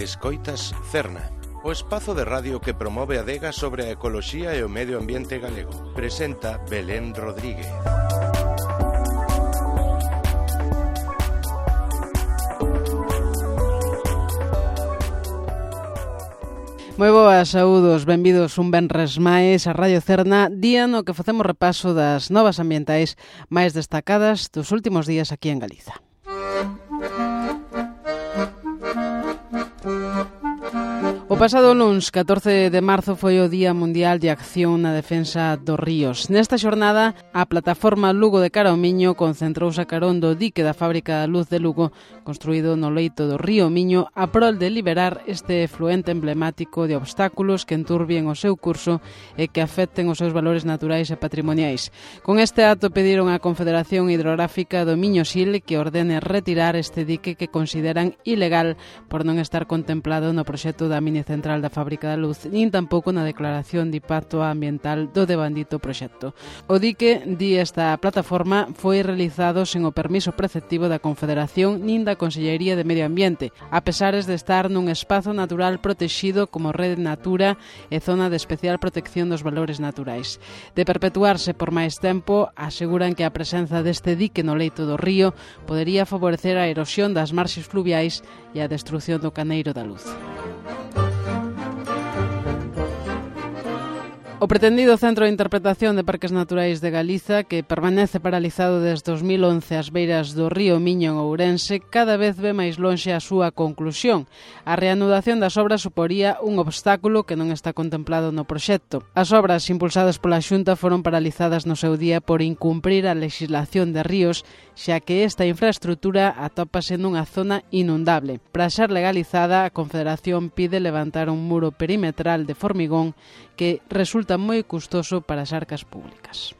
Escoitas Cerna, o espazo de radio que promove a adega sobre a ecoloxía e o medio ambiente galego. Presenta Belén Rodríguez. Moi boas, saúdos, benvidos un venres máis a Radio Cerna, día no que facemos repaso das novas ambientais máis destacadas dos últimos días aquí en Galiza. O pasado luns, 14 de marzo, foi o Día Mundial de Acción na Defensa dos Ríos. Nesta xornada, a plataforma Lugo de Cara ao Miño concentrouse a carón do dique da fábrica da luz de Lugo, construído no leito do río Miño, a prol de liberar este efluente emblemático de obstáculos que enturbien o seu curso e que afecten os seus valores naturais e patrimoniais. Con este acto pediron á Confederación Hidrográfica do Miño-Sil que ordene retirar este dique que consideran ilegal por non estar contemplado no proxecto da mini central da fábrica da luz, nin tampouco na declaración de impacto ambiental do devandito proxecto. O dique, di esta plataforma, foi realizado sen o permiso preceptivo da Confederación nin da Consellería de Medio Ambiente, a pesares de estar nun espazo natural protexido como Rede Natura e Zona de Especial Protección dos Valores Naturais. De perpetuarse por máis tempo, aseguran que a presenza deste dique no leito do río podería favorecer a erosión das marxes fluviais e a destrución do caneiro da luz. O pretendido Centro de Interpretación de Parques Naturais de Galiza, que permanece paralizado desde 2011 ás beiras do río Miño en Ourense, cada vez ve máis lonxe a súa conclusión. A reanudación das obras suporía un obstáculo que non está contemplado no proxecto. As obras impulsadas pola Xunta foron paralizadas no seu día por incumprir a legislación de ríos, xa que esta infraestrutura atópase nunha zona inundable. Para ser legalizada, a Confederación pide levantar un muro perimetral de formigón que resulta moi custoso para as arcas públicas.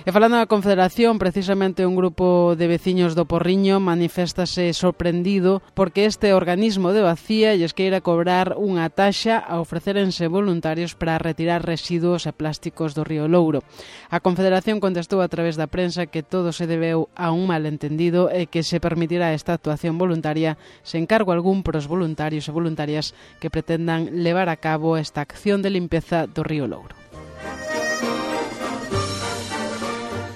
E falando da Confederación, precisamente un grupo de veciños do Porriño maniféstase sorprendido porque este organismo de Bacía lles queira cobrar unha taxa a ofrecérense voluntarios para retirar residuos e plásticos do río Louro. A Confederación contestou a través da prensa que todo se debeu a un malentendido e que se permitirá esta actuación voluntaria sen cargo algún pros voluntarios e voluntarias que pretendan levar a cabo esta acción de limpeza do río Louro.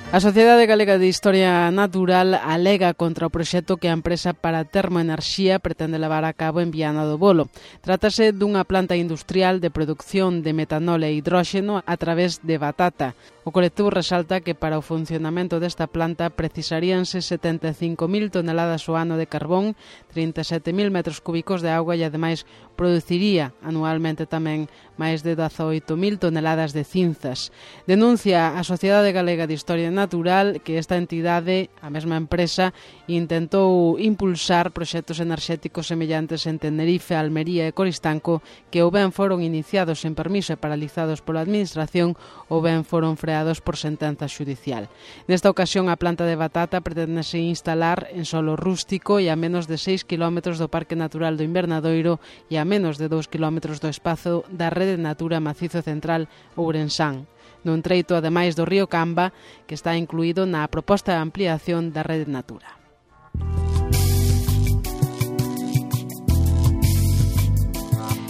A Sociedade Galega de Historia Natural alega contra o proxecto que a empresa para termoenerxía pretende levar a cabo en Viana do Bolo. Trátase dunha planta industrial de produción de metanol e hidróxeno a través de batata. O colectivo resalta que para o funcionamento desta planta precisaríanse 75.000 toneladas ao ano de carbón, 37.000 metros cúbicos de auga e ademais produciría anualmente tamén máis de 18.000 toneladas de cinzas. Denuncia a Sociedade Galega de Historia Natural que esta entidade, a mesma empresa, intentou impulsar proxectos enerxéticos semellantes en Tenerife, Almería e Coristanco que ou ben foron iniciados sen permiso e paralizados pola Administración ou ben foron freados por sentenza xudicial. Nesta ocasión, a planta de batata pretendese instalar en solo rústico e a menos de 6 km do Parque Natural do Invernadoiro e a menos de 2 km do espazo da Rede Natura Macizo Central Ourensán, nun treito ademais do río Camba, que está incluído na proposta de ampliación da Rede Natura.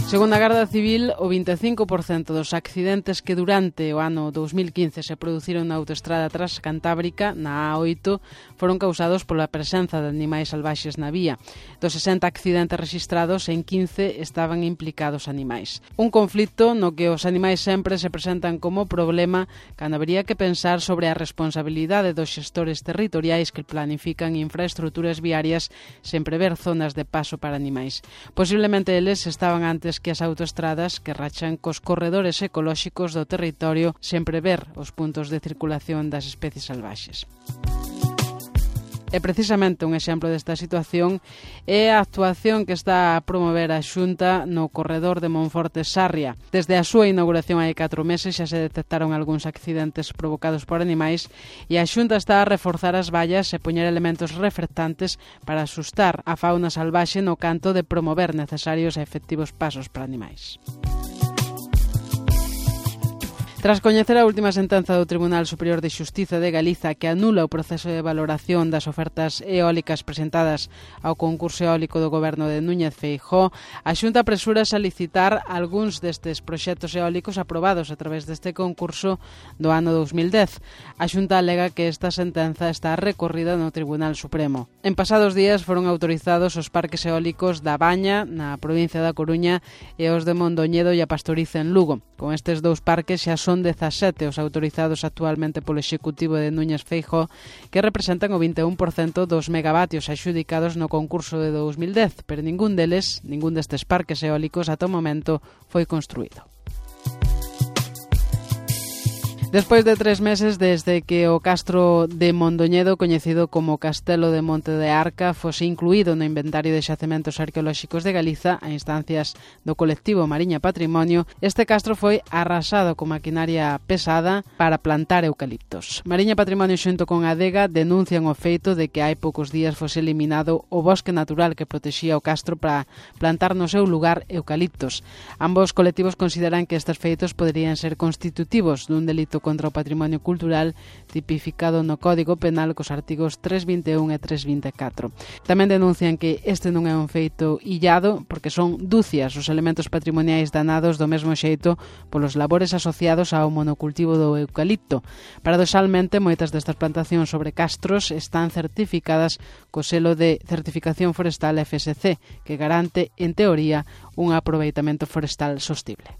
Segundo a Garda Civil, o 25% dos accidentes que durante o ano 2015 se produciron na autoestrada transcantábrica, na A8, foron causados pola presenza de animais salvaxes na vía. Dos 60 accidentes registrados, en 15 estaban implicados animais. Un conflito no que os animais sempre se presentan como problema cando habería que pensar sobre a responsabilidade dos xestores territoriais que planifican infraestruturas viarias sen prever zonas de paso para animais. Posiblemente eles estaban antes que as autoestradas que rachan cos corredores ecolóxicos do territorio sen prever os puntos de circulación das especies salvaxes. E precisamente un exemplo desta situación é a actuación que está a promover a Xunta no corredor de Monforte-Sarria. Desde a súa inauguración hai 4 meses xa se detectaron algúns accidentes provocados por animais e a Xunta está a reforzar as vallas e poñer elementos reflectantes para asustar a fauna salvaxe no canto de promover necesarios e efectivos pasos para animais. Tras coñecer a última sentenza do Tribunal Superior de Xustiza de Galiza que anula o proceso de valoración das ofertas eólicas presentadas ao concurso eólico do goberno de Núñez Feijóo, a Xunta apresúrase a licitar algúns destes proxectos eólicos aprobados a través deste concurso do ano 2010. A Xunta alega que esta sentenza está recorrida no Tribunal Supremo. En pasados días foron autorizados os parques eólicos da Baña, na provincia da Coruña, e os de Mondoñedo e a Pastoriza en Lugo. Con estes dous parques xa son 17 os autorizados actualmente polo Executivo de Núñez Feijóo, que representan o 21% dos megavatios axudicados no concurso de 2010, pero ningún destes parques eólicos ata o momento foi construído. Despois de 3 meses desde que o castro de Mondoñedo, coñecido como Castelo de Monte de Arca, fose incluído no inventario de xacementos arqueolóxicos de Galiza a instancias do colectivo Mariña Patrimonio, este castro foi arrasado con maquinaria pesada para plantar eucaliptos. Mariña Patrimonio xunto con Adega denuncian o feito de que hai poucos días fose eliminado o bosque natural que protexía o castro para plantar no seu lugar eucaliptos. Ambos colectivos consideran que estes feitos poderían ser constitutivos dun delito contra o patrimonio cultural tipificado no Código Penal cos artigos 321 e 324. Tamén denuncian que este non é un feito illado porque son dúcias os elementos patrimoniais danados do mesmo xeito polos labores asociados ao monocultivo do eucalipto. Paradoxalmente, moitas destas plantacións sobre castros están certificadas co selo de certificación forestal FSC, que garante, en teoría, un aproveitamento forestal sostible.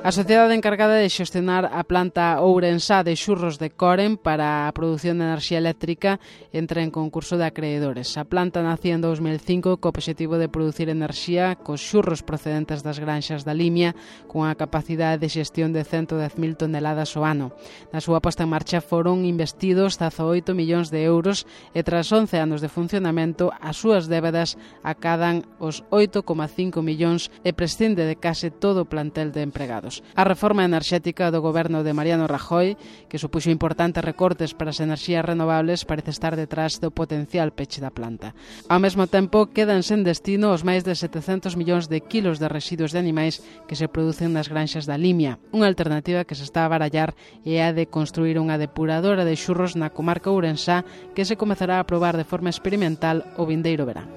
A sociedade encargada de xestionar a planta ourensá de xurros de Coren para a produción de enerxía eléctrica entra en concurso de acreedores. A planta nacía en 2005 co obxectivo de producir enerxía cos xurros procedentes das granxas da Limia con a capacidade de xestión de 110.000 toneladas ao ano. Na súa posta en marcha foron investidos 18 millóns de euros e tras 11 anos de funcionamento as súas débedas acadan os 8,5 millóns e prescinde de case todo o plantel de empregados. A reforma enerxética do goberno de Mariano Rajoy, que supuxo importantes recortes para as enerxías renovables, parece estar detrás do potencial peche da planta. Ao mesmo tempo, quedan sen destino os máis de 700 millóns de kilos de residuos de animais que se producen nas granxas da Limia. Unha alternativa que se está a barallar é a de construir unha depuradora de xurros na comarca ourensá que se comezará a probar de forma experimental o vindeiro verán.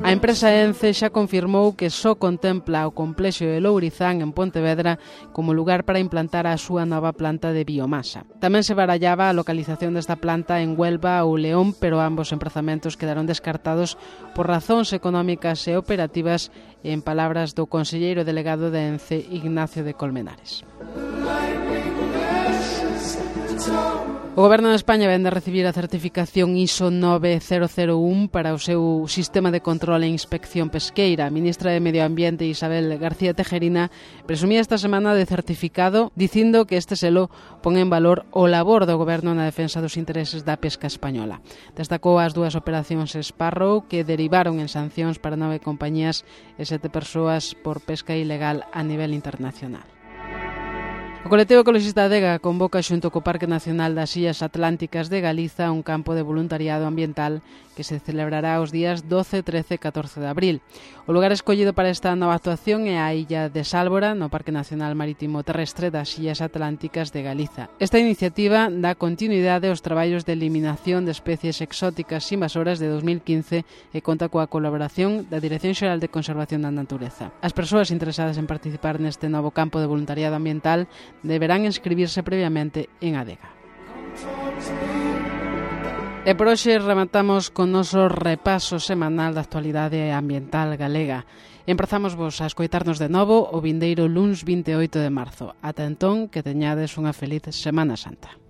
A empresa ENCE xa confirmou que só contempla o complexo de Lourizán en Pontevedra como lugar para implantar a súa nova planta de biomasa. Tamén se barallaba a localización desta planta en Huelva ou León, pero ambos emprazamentos quedaron descartados por razóns económicas e operativas, en palabras do conselleiro delegado de ENCE, Ignacio de Colmenares. O Goberno de España vén de recibir a certificación ISO 9001 para o seu sistema de control e inspección pesqueira. A ministra de Medio Ambiente, Isabel García Tejerina, presumía esta semana de certificado dicindo que este selo pon en valor o labor do Goberno na defensa dos intereses da pesca española. Destacou as 2 operacións Sparrow que derivaron en sancións para 9 compañías e 7 persoas por pesca ilegal a nivel internacional. O colectivo ecologista Adega convoca xunto co Parque Nacional das Illas Atlánticas de Galiza un campo de voluntariado ambiental que se celebrará os días 12, 13 e 14 de abril. O lugar escollido para esta nova actuación é a illa de Sálvora, no Parque Nacional Marítimo Terrestre das Illas Atlánticas de Galiza. Esta iniciativa dá continuidade aos traballos de eliminación de especies exóticas invasoras de 2015 e conta coa colaboración da Dirección Xeral de Conservación da Natureza. As persoas interesadas en participar neste novo campo de voluntariado ambiental deberán inscribirse previamente en Adega. E por hoxe rematamos con noso repaso semanal da actualidade ambiental galega. Emprazamos vos a escoitarnos de novo o vindeiro luns 28 de marzo. Ata entón, que teñades unha feliz Semana Santa.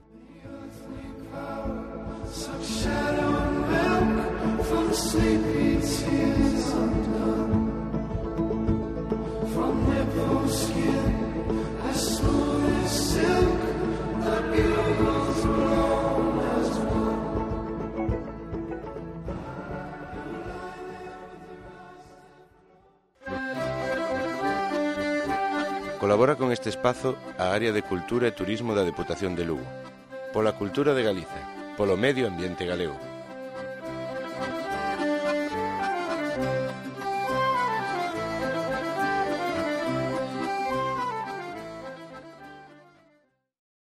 Colabora con este espazo a Área de Cultura e Turismo da Deputación de Lugo. Pola cultura de Galiza, polo medio ambiente galego.